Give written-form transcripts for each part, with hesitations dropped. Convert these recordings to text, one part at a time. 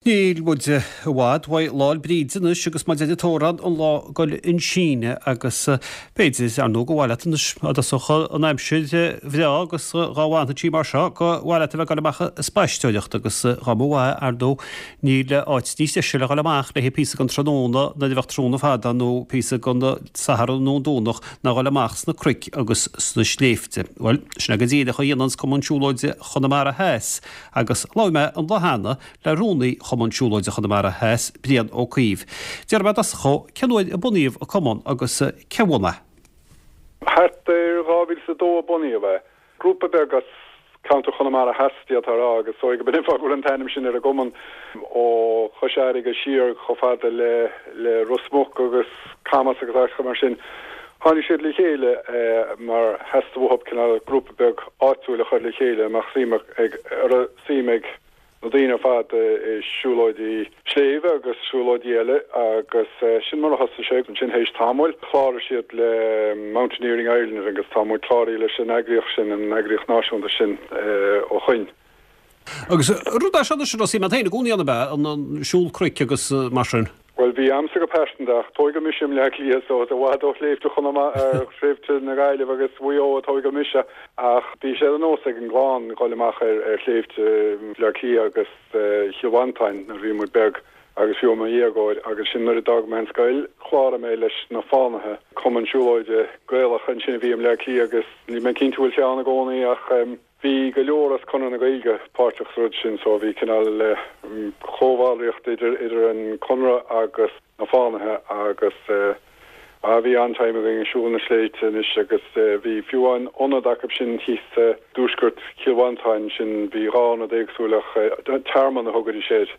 Níl muid i bhfad uaidh Lá 'le Bríde anois agus mar a deir an t-amhrán an lá ag dul chun síneadh agus b'fhéidir, ar ndóigh, gur mhaith leat anois dá dtosódh an aimsir bhreá agus dhá bhfanfadh sí mar seo go mhaith leat a bheith ag dul amach ag spaisteoireacht agus dhá mba mhaith, ar ndóigh, níl áit níos deise le dhul amach le haghaidh píosa den tráthnóna nuair a bheadh tráthnóna fada nó píosa den Satharn nó an Domhnach ná dhul amach sna cnoic agus sna sléibhte. Bhuel, sin é go díreach a dhéananns Cumann Siúlóide Chonamara Theas agus labhair mé an lá cheana le Rúnaí Chumann Siúlóide Chonamara Theas, Brian Ó Cuív. D'iarr mé i dtosach dhó cén uair a bunaíodh an cumann agus cé a bhunaigh é. Thart ar 2002 a bunaíodh é. Grúpa beag as ceantar Chonamara Theas, d'fhéadfá a rá, agus is dóigh go b'in an fáth go bhfuil an t-ainm sin ar an gcumann, ó Chois Fharraige siar chomh fada le le Ros Muc agus Camas agus áiteacha mar sin. Tháinig siad le chéile mar theastaigh uathu cineál grúpa beag áitiúil a chur le chéile a mbeadh suim ag, a raibh suim ag na daoine ar fad i siúlóidí sléibhe agus siúlóidí eile agus sin mar a thosaigh sé. Ansin théis tamaill chláraigh siad le Mountaineering Ireland agus tá muid cláraithe leis an eagraíocht sin, an eagraíocht náisiúnta sin ó shoin. Agus rud é seo anois a raibh suim agat féin i gcónaí ann ab ea, an siúl cnoic agus mar sin? Bhuel, bhí a'msa go pearsanta, ach tóigeadh mise i mBleá Cliath so is i bhfad ó shléibhte Chonamara, sléibhte na Gaillimhe agus Mhaigh Eo a tóigeadh mise, ach bhí sé de nós ag an gclann dhul amach ar ar shléibhte Bhleá Cliath agus Chill Mhantáin nuair a bhí muid beag agus fiú i mo dhéagóir agus sin nuair a d'fhág mé an scoil, chláraigh mé leis na Fánaithe, cumann siúlóide Gaelach ansin a bhí i mBleá Cliath agus níl mé cinnte bhfuil sé ann i gcónaí ach. Bhí go leor as Conradh na Gaeilge páirteach sa rud sin so bhí cineál comhbhallraíocht idir idir an Conradh agus na Fánaithe agus ah bhí an-time againn ag siúl na sléibhte anois agus bhí fiú amháin ionad acu sin thíos i dtuaisceart Chill Mhantáin sin bhí dhá ionad éagsúil ach tearmann a thugaidís air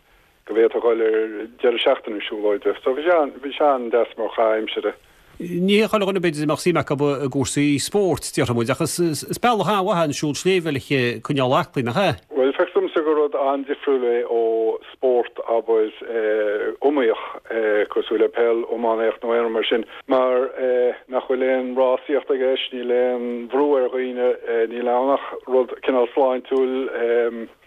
go bhféadfá dhul ar deireadh seachtaine siúlóide. So bhí sé bhí sé an-deas mar chaitheamh aimsire. Ní hé chuile dhuine b'fhéidir a mbeadh suim acu i gcúrsaí spóirt, déarfaidh muid, ach is is bealach an-mhaith é an siúl sléibhe le coinneáil aclaí, nach ea? Bhuel, feictear domsa gur rud an-difriúil é ó spórt, abair, iomaíoch, cosúil le peil, iománaíocht nó aon rud mar sin, mar nach bhfuil aon rásaíocht i gceist, níl aon bhrú ar dhaoine, níl ann ach rud cineál sláintiúil,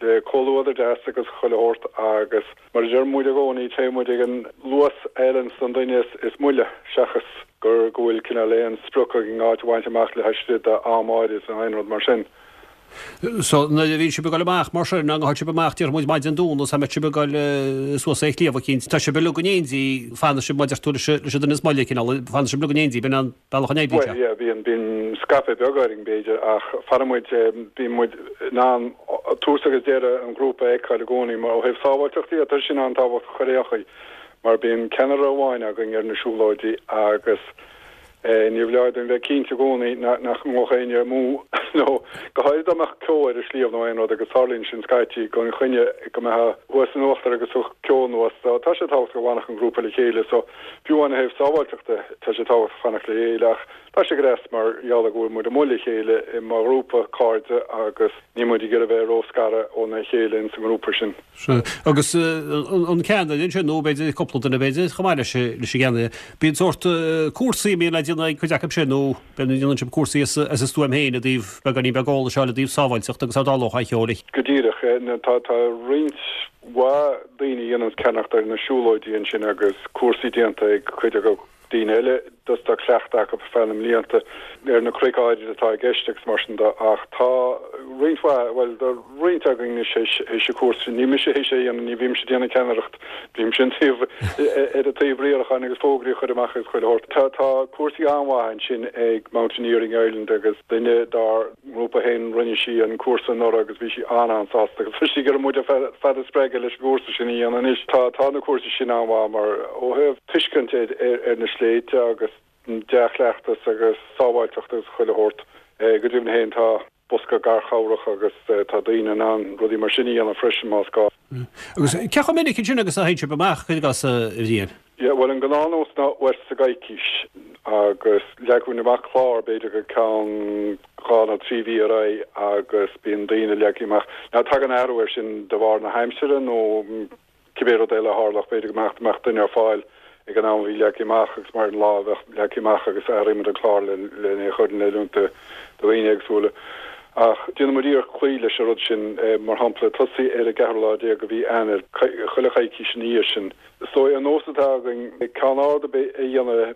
le comhluadar deas agus chuile shórt agus mar a deir muid i gcónaí téann muid ag an luas a fheileanns don duine is moille seachas gur go bhfuil cineál aon sprioc againn áit a bhaint amach le laistigh d'am áirid nó aon rud mar sin. So nuair a bhíonn sibh ag dul amach mar sin, nó théann sibh amach déarfaidh muid maidin Domhnaigh is mbeidh sibh ag dul suas ar shliabh eicínt, tá sibh uilig in éindí, fanann sibh mar a deir tú leis an duine is moille cineál, fanann sibh uilig in éindí, b'in an. bealach a n-oibríonn sé. Bhuel, yeah, bíonn, bíonn scaipeadh beag orainn, b'fhéidir, ach fanann muid, bíonn muid in ann tús agus deireadh an ghrúpa a fheiceáil i gcónaí, mar ó thaobh sábháilteachta dhe, tá sin an-tábhachtach ar aon chaoi, mar bíonn ceannaire amháin againn ar na siúlóidí agus níor bhreá dúinn bheith cinnte i gcónaí nach ngabhfadh éinne amú nó go háirid dá mbeadh ceo ar an sliabh nó aon rud agus tarlaíonn sin scaití gan choinne go mbeifeá thuas in uachtar agus tiocfaidh ceo anuas so tá sé tábhachtach go bhfanfadh an grúpa le chéile so Fiú amháin ó thaobh sábháilteachta, tá sé tábhachtach fanacht le chéile ach tá sé go deas mar gheall ar go bhfuil muid amuigh le chéile i mar ghrúpa cairde agus níl muid ag iarraidh bheith ró-scartha óna chéile ins an ngrúpa sin. Sea. Agus an ceannaire ansin, nó b'fhéidir cúpla duine b'fhéidir, chomh maith leis an gceannaire, bíonn sórt cúrsaí a mbíonn le déanamh ag cuid acu sin nó b'fhéidir déanann sibh cúrsaí as a stuaim féin i dtaobh beagáinín beag eolais a fháil i dtaobh sábháilteachta agus dá dtarlódh aon cheo. Go díreach. Tá roinnt mhaith daoine a dhéananns ceannaireacht ar na siúlóidí ansin agus cúrsaí déanta ag cuid acu, daoine eile just tá cleachtadh acu ar feadh na mblianta ar na cnoic áirid atá i gceist agus mar sin de ach tá roinnt mhaith, bhuel tá roinnt againn anois théis an cúrsa sin, ní mise théis é a dhéanamh, ní bhímse ag déanamh ceannaireacht, bímse an taobh ar an taobh riaracháin agus fógraí a chur amach agus chuile shórt. Tá tá cúrsaí an-mhaith ansin ag Mountaineering Ireland agus duine dár ngrúpa féin, rinne sí an cúrsa anuraidh agus bhí sí an-an-sásta agus tá sí ag iarraidh muid ar fad a spreagadh leis an gcúrsa sin a dhéanamh anois. Tá tá na cúrsaí sin an-mhaith mar ó thaobh tuiscint ar ar na sléibhte agus dea-chleachtas agus sábháilteacht agus chuile shórt. Go deimhin féin tá bosca garchabhrach agus tá daoine in ann rudaí mar sin a dhéanamh freisin más gá. Agus cé chomh minic ansin agus a théann sibh amach, cuir i gcás, a Bhriain? Yeah, bhuel an gnáthnós ná uair sa gcoicís agus leagfainn amach clár b'fhéidir go ceann dhá nó trí mhí ar aghaidh agus bíonn daoine leagtha amach. Now tagann athrú air sin de bharr na haimsire nó cibé rud eile a tharlódh, b'fhéidir go mbeadh mbeadh duine ar fáil ag an am a bhí leagtha amach agus mar an lá a bheadh leagtha amach agus athraímid an clár le len é a chur in oiriúint do dhaoine éagsúla. Ach déanann muid iarracht cloí leis an rud sin, mar shampla, tosaí ar an gceathrú lá déag de mhí Eanáir, chuile choicís ina dhiaidh sin. Is dóigh an nós atá againn ceann ard a dhéanamh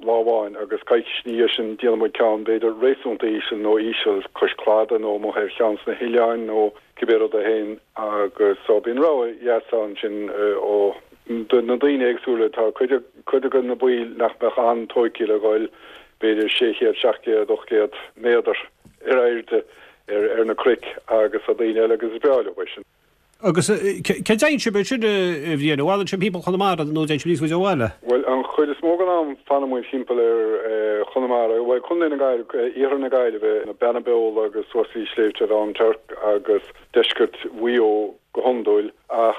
lá amháin agus coicís ina dhiaidh sin déanann muid ceann b'fhéidir réasúnta íseal nó íseal cois cladaigh nó amuigh ar cheann de na hoileáin nó cibé rud é féin agus so bíonn rogha dheas ann sin ó do na daoine éagsúla. Tá cuid cuid de na baill nach mbeadh an-tóigthe le dhul b'fhéidir 600, 700, 800 méadar ar airde ar ar na cnoic agus tá daoine eile agus is breá leo é sin. Agus cá dtéann sibh ansin, a Bhriain? An bhfanann sibh thimpeall Chonamara nó dtéann sibh níos faide ó bhaile? Bhuel, an chuid is mó den am fanann muid thimpeall ar Chonamara, bhuel, Contae na Gaillimhe, iarthar na Gaillimhe, na Beanna Beola agus suas go dtí Sléibhte Mhám Tuirc agus deisceart Mhaigh Eo go hiondúil. Ach,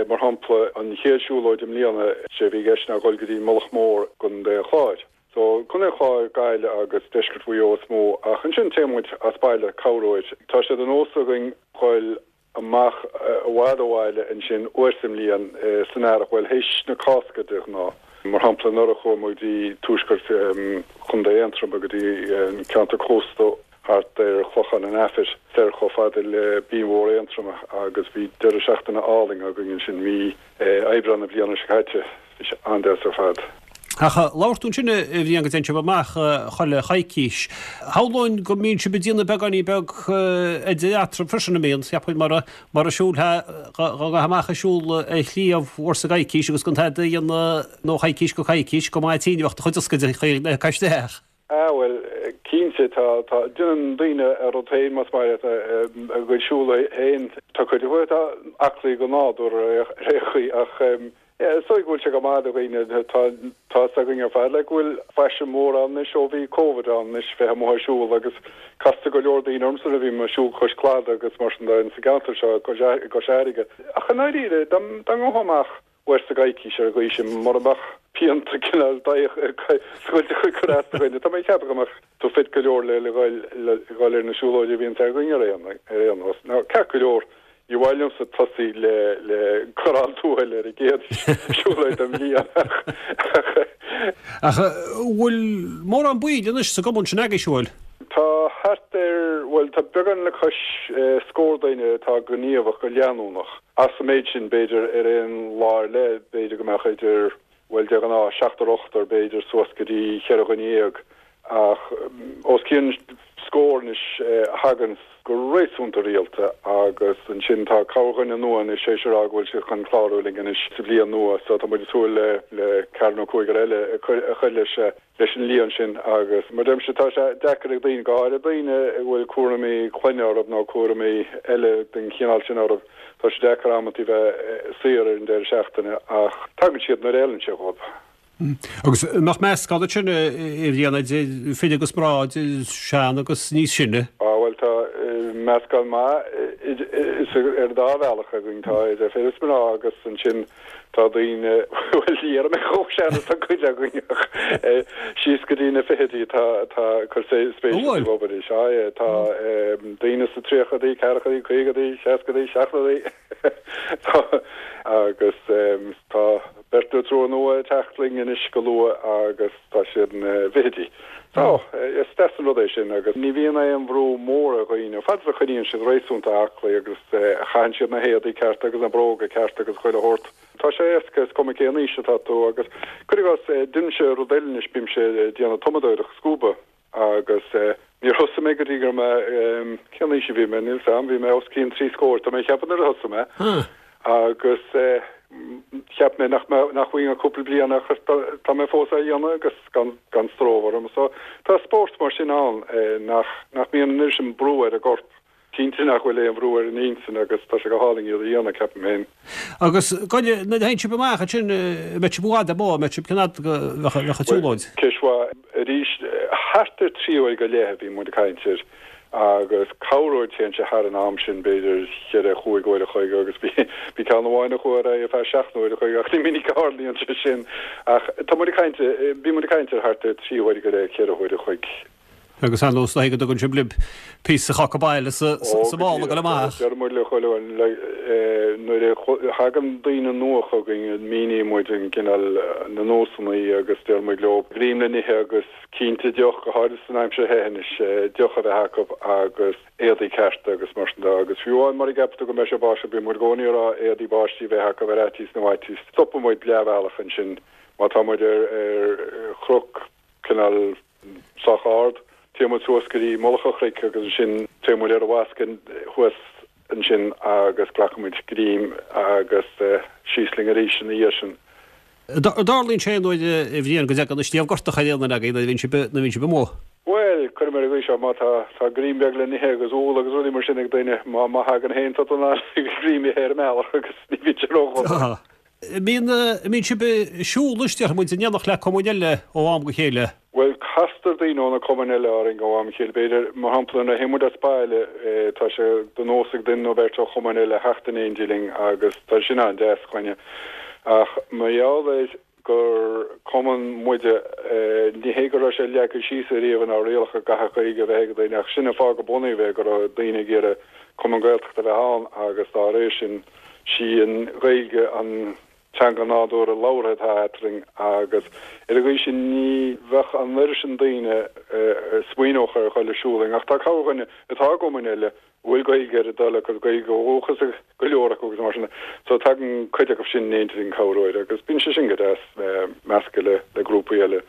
mar shampla, an chéad siúlóid i mbliana, sé a bhí i gceist ná dhul go dtí Mullach Mór i gContae an Chláir. So, Contae an Chláir, Gaillimh agus deisceart Mhaigh Eo is mó. Ach ansin téann muid as baile corruair. Tá sé de nós againn dhul amach i bhfad ó bhaile ansin uair sa mbliain san earrach, bhuel, théis na Cásca de ghnáth. Mar shampla, anuraidh chuaigh muid go dtí tuaisceart Chontae Aontroma, go dtí an ceantar cósta thart ar Chlochán an Aifir, soir chomh fada le Binn Mhór Aontroma agus bhí deireadh seachtaine álainn againn ansin mí Aibreán na bliana seo caite. Bhí sé an-deas ar fad. Ach labhair tú ansin, a Bhriain, go dtéann sibh amach chuile choicís. Shamhlóinn go mbíonn sibh ag déanamh beagáinín beag idir eatarthu freisin, an mbíonn? Cheapfainn mura mura siúlfá dhá ngabhfá amach ag siúl ar shliabh uair sa gcoicís agus gan tada a dhéanamh nó coicís go coicís go maith tinn a bheadh do chuid ioscaide ag cur isteach. Ah bhuel, cinnte, tá, tá, déanann daoine a rud féin más maith leat, a gcuid siúl féin. Tá cuid acu atá aclaí go nádúr ar aon chaoi ach yeah, is dóigh go bhfuil sé go maith do dhaoine, tá, tá fhios againn ar fad like go bhfuil faisean mór ann anois ó bhí Covid ann anois bheith amuigh ag siúl agus castar go leor daoine ormsa nuair a bhím ag siúl cois cladaigh agus mar sin de sa gceantar seo i gCois Fharraige. Ach i ndáiríre, dá ngabhfá amach uair sa gcoicís ar an gcaoi sin, mura mbeadh pianta cineál scoilte ag cur as do dhuine. Tá mé ag ceapadh go mbeadh tú fit go leor le dhul ar na siúlóidí a bhíonns againn ar aon nós. Now, ceart go leor, ní mhaith liomsa tosaí le le corrán tuathail ar an gcéad siúlóid den bhliain ach Ach bhfuil mórán baill anois sa gcumann sin agaibh, bhfuil? Tá thart ar, bhuel, tá beagán le cois scór duine atá gníomhach go leanúnach. As an méid sin, b'fhéidir, ar aon lá ar leith, b'fhéidir go mbeadh idir, bhuel, de ghnáth, seachtar, ochtar, b'fhéidir, suas go dtí cheithre dhuine dhéag. Ach os cionn scór anois a thaganns go réasúnta rialta agus ansin tá corrdhuine nua anois théis a rá go bhfuil siad chun clárú linn anois sa bhliain nua so tá muid ag súil le le ceathrar nó cúigear eile a chur leis leis an líon sin agus mar deirimse tá sé deacair ag daoine, go háirithe daoine a bhfuil cúraimí clainne orthu nó cúraimí eile den chineál sin orthu, tá sé deacair amantaí bheith saor ar an deireadh seachtaine ach tagann siad nuair a fheileann sé dhóibh. Agus an mbeadh meascán ansin a Bhriain idir fir agus mná, idir sean agus níos sine? Á bhuel tá meascán maith ar an dá bhealach againn, tá idir fir is mná agus ansin Tá daoine, bhuel, ní déarfaidh mé chomh sean is tá cuid againn ach síos go dtí na fichidí tá, tá ag cur spéise sa obair. Sea, yeah, tá daoine sna tríochaidí, ceathrachaidí, caogaidí, seascaidí, seachtóidí. Tá, agus tá beirt nó triúr nua ag teacht linn anois go luath agus tá siad ina bhfichidí. So, is deas an rud é sin agus ní bhíonn aon bhrú mór ar dhaoine, fad is a choinníonn siad réasúnta aclaí agus a chaitheann siad na héadaí cearta agus na bróga cearta agus chuile shórt. Tá sé éasca, is cuma cén aois atá tú agus, cuir i gcás, déanaimse rud eile anois, bímse ag déanamh tumadóireacht, scuba, agus níor thosaigh mé go dtí go raibh mé, cén aois a bhí mé, níl 's a'm, bhí mé os cionn trí scór, tá mé ag ceapadh nuair a thosaigh mé. Agus cheap mé nach mbeadh, nach bhfaighinn ach cúpla bliain ach tá mé fós á dhéanamh agus gan, gan stró orm. So tá spórt mar sin ann nach, nach mbíonn an oiread sin brú ar an gcorp. Cinnte nach bhfuil aon bhrú ar an intinn agus tá sé go hálainn iad a dhéanamh, ceapaim féin. Agus goile, nuair a théann sibh amach ansin, an mbeidh sibh i bhfad amuigh, an mbeidh sibh cén fhad go bheadh an tsiúlóid? Ceist mhaith. Arís, thart ar 3 uair go leith a bhí muid ag caint air agus corruair téann sé thar an am sin, b'fhéidir cheithre, chúig uair a chloig agus bhí bhí ceann amháin a chuaigh ar aghaidh ar feadh seacht n-uair a chloig ach ní minic a tharlaíonn sé sin. Ach tá muid ag caint, bhí muid ag caint ar thart ar 3 huaire go leith, ceithre huaire a chloig. Agus ar nós go dtugann sibh libh píosa cáca baile sa mála ag dul amach. Deir muid le chuile dhuine, nuair a thagann daoine nua chugainn, míníonn muid an cineál, na nósanna agus deir muid leo greim le n-ithe agus cinnte deoch, go háirithe san aimsir the anois, deoch a bheith acu agus éadaí cearta agus mar sin de. Agus fiú amháin mura gceapann tú go mbeidh sé ag báisteach, bíonn muid i gcónaí ag rá éadaí báistí a bheith acu ar fhaitíos na bhfaitíos. Stopann muid leathbhealach ansin má tá muid ar chnoc cineál sách ard. Téann muid suas go dtí mullach an chnoic agus ansin téann muid ar an bhfoscadh thuas ansin agus glacann muid greim agus síos linn arís ina dhiaidh sin. An dtarlaíonn sé aon uair a Bhriain go dtagann an sliabh gortach ar aon duine agaibh nuair a bhíonn sibh nuair a bhíonn sibh amuigh? Bhuel, cuirfidh mé ar an gcaoi seo, má tá tá greim beag le n-ithe agus úll agus rudaí mar sin ag duine, má má thagann féin tá tú in ann greim a ithe ar an mbealach agus ní bhíonn sé ródhona. An mbíonn, an mbíonn sibh ag siúl anois, déarfaidh muid, in éineacht le cumainn eile ó am go chéile? Bhuel, castar daoine ó na cumainn eile orainn ó am go chéile. B'fhéidir, mar shampla, nuair a théann muid as baile, tá sé de nós ag duine nó beirt ó chumainn eile theacht in éindí linn agus tá sin an-deas chugainne. Ach mar gheall ar gur cumann muide, ní hé go raibh sé leagtha síos ariamh inár rialacha go gcaithfeadh Gaeilge a bheith ag daoine ach sin an fáth gur bunaíodh é, go raibh daoine ag iarraidh cumann Gaeltachta a bheith ann agus dá réir sin, Sí an Ghaeilge an teanga nádúrtha labhartha atá eadrainn agus ar an gcaoi sin ní bheadh an oiread sin daoine a smaoineodh ar dhul ag siúl linn. Ach tá corrdhuine atá i gcumainn eile a bhfuil Gaeilge ar a dtoil acu, Gaeilge ó dhúchas ag go leor acu agus mar sin de. So tagann cuid acu sin in éindí linn corruair agus bíonn sé sin go deas, meascadh le le grúpaí eile.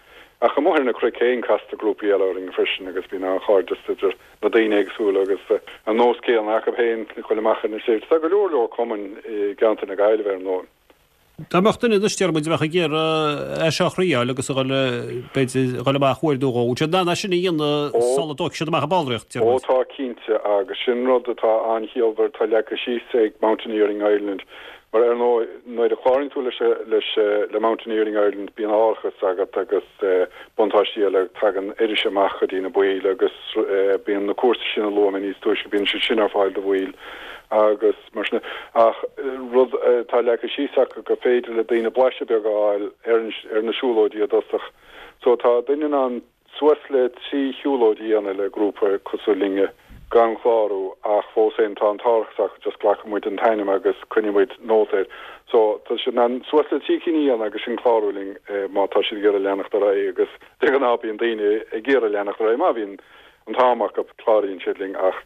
Ach amuigh ar na cnoic féin castar grúpaí eile orainn freisin agus bíonn an-chairdeas idir na daoine éagsúla agus an nós céanna acu féin ag dul amach ar na sléibhte. Tá go leor leor cumainn i gceantar na Gaillimhe, ar ndóigh. Dá mbeadh duine anois, deir muid, a bheadh ag iarraidh é seo a thriáil agus a dhul, b'fhéidir, a dhul amach uair nó dhó, bhfuil siad in ann é sin a dhéanamh sula dtógfaidh siad amach an ballraíocht, deir muid. Ó tá, cinnte, agus sin rud atá an-chiallmhar, atá leagtha síos ag Mountaineering Ireland. Mar ar ndóigh, nuair a chláraíonn tú leis, leis, le Mountaineering Ireland, bíonn árachas agat agus buntáistí eile, tagann iris amach go dtí na baill agus bíonn na cúrsaí sin a luaigh mé níos túisce, bíonn siad sin ar fáil do bhaill agus mar sin. Ach rud atá leagtha síos acu gur féidir le daoine blaiseadh beag a fháil ar, ar na siúlóidí i dtosach. So tá duine in ann Suas le 3 shiúlóid a dhéanamh le grúpa cosúil linne, gan chlárú, ach fós féin tá an t-árachas acu, just glacfaidh muid an t-ainm agus coinneoidh muid nóta air. So, tá siad in ann suas le 3 cinn a dhéanamh agus ansin clárú linn má tá siad ag iarraidh leanacht ar aghaidh agus de ghnáth bíonn daoine ag iarraidh leanacht ar aghaidh má bhíonn an t-am acu, cláraíonn siad linn ach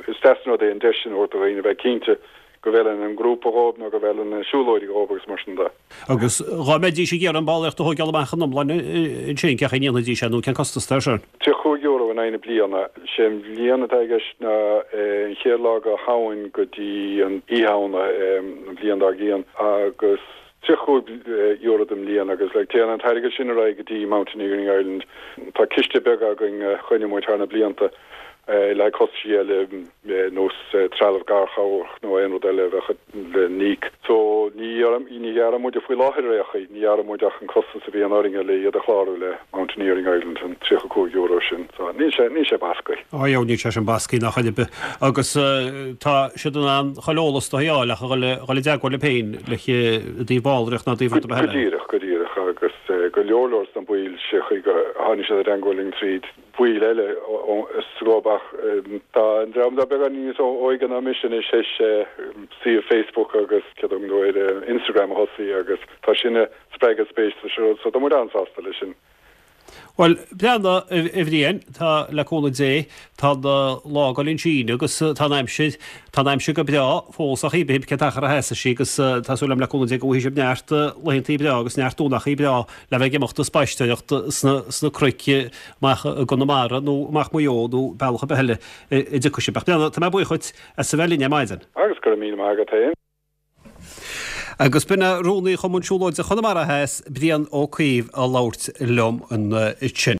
is deas an rud é an deis sin a thabhairt do dhaoine a bheith cinnte go bhfeileann an grúpa dhóibh nó go bhfeileann na siúlóidí dhóibh agus mar sin de. Agus dhá mbeidís ag iarraidh an ballraíocht a thóigeáil amach ina iomláine ansin, cén chaoi a ndéanfaidís é nó cén costas atá air sin? €35 in aghaidh na bliana. Sé an bhliain atá i gceist ná an chéad lá de Shamhain go dtí an Oíche Shamhna an bhliain dár gcionn agus €35 don mbliain agus like téann an t-airgead sin ar aghaidh go dtí Mountaineering Ireland. Tá ciste beag againn a choinnigh muid thar na blianta le haghaidh costaisí eile nós trealamh garchabhrach nó aon rud eile a bheadh le n-íoc. So ní ní ghearrann muide faoi láthair ar aon chaoi, ní ghearrann muid ach an costas a bhíonn orainne le iad a chlárú le Mountaineering Ireland, an €35 sin. So níl sé níl sé bascaí. Á yeah, níl sé sin bascaí ná chor ar bith. Agus tá siad in ann chuile eolas do fháil ach a dhul dhul i dteagmháil libh féin le i dtaobh ballraíocht ná i dtaobh rud ar bith eile. Go díreach, go díreach. Agus go leor leor sna baill sé chaoi go tháinig siad i dteagmháil linn tríd baill eile sa gclub ach tá an dream atá beagán níos óige ná mise anois théis suíomh Facebook agus céard a thugann tú air Instagram a thosaí agus tá sin ag spreagadh spéis sa rud so tá muid an-sásta leis sin. Bhuel, breathnaigh, a Bhriain, tá, le cúnamh Dé, tá an lá ag dul chun síneadh agus tá an aimsir, tá an aimsir go breá fós ach cibé cén t-achar a sheasfaidh sí agus tá súil agam le cúnamh Dé go bhfaighidh sibh neart laethantaí breá agus neart Domhnachaí breá le bheith ag imeacht ag spaisteoireacht sna cnoic amach i gConamara nó amach Maigh Eo nó bealach ar bith eile a dtiocfaidh sibh. Ach Breandán, tá mé buíoch dhuit as a bheith linn ar maidin. Agus go raibh míle maith agat féin. Agus b'in é Rúnaí Chumann Siúlóide Chonamara Theas, Brian Ó Cuív, ag labhairt liom ansin.